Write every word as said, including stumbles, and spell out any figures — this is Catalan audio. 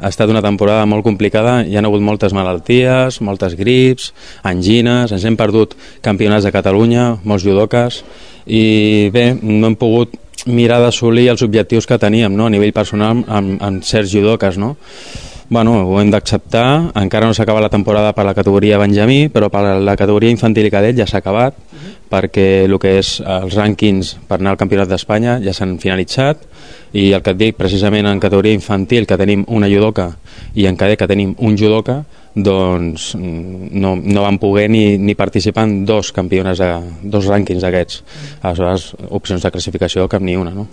Ha estat una temporada molt complicada, hi ha hagut moltes malalties, moltes grips, angines, ens hem perdut campionats de Catalunya, molts judoques, i bé, no hem pogut mirar d'assolir els objectius que teníem, no?, a nivell personal amb, amb certs judoques, no? Bueno, ho hem d'acceptar, encara no s'acaba la temporada per la categoria Benjamí, però per la categoria infantil i cadet ja s'ha acabat, perquè el que és els rànquings per anar al Campionat d'Espanya ja s'han finalitzat, i el que et dic, precisament en categoria infantil, que tenim una judoca, i en cadet, que tenim un judoca, doncs no, no van poder ni, ni participar en dos campionats, de, dos rànquings d'aquests. Aleshores, opcions de classificació cap ni una, no?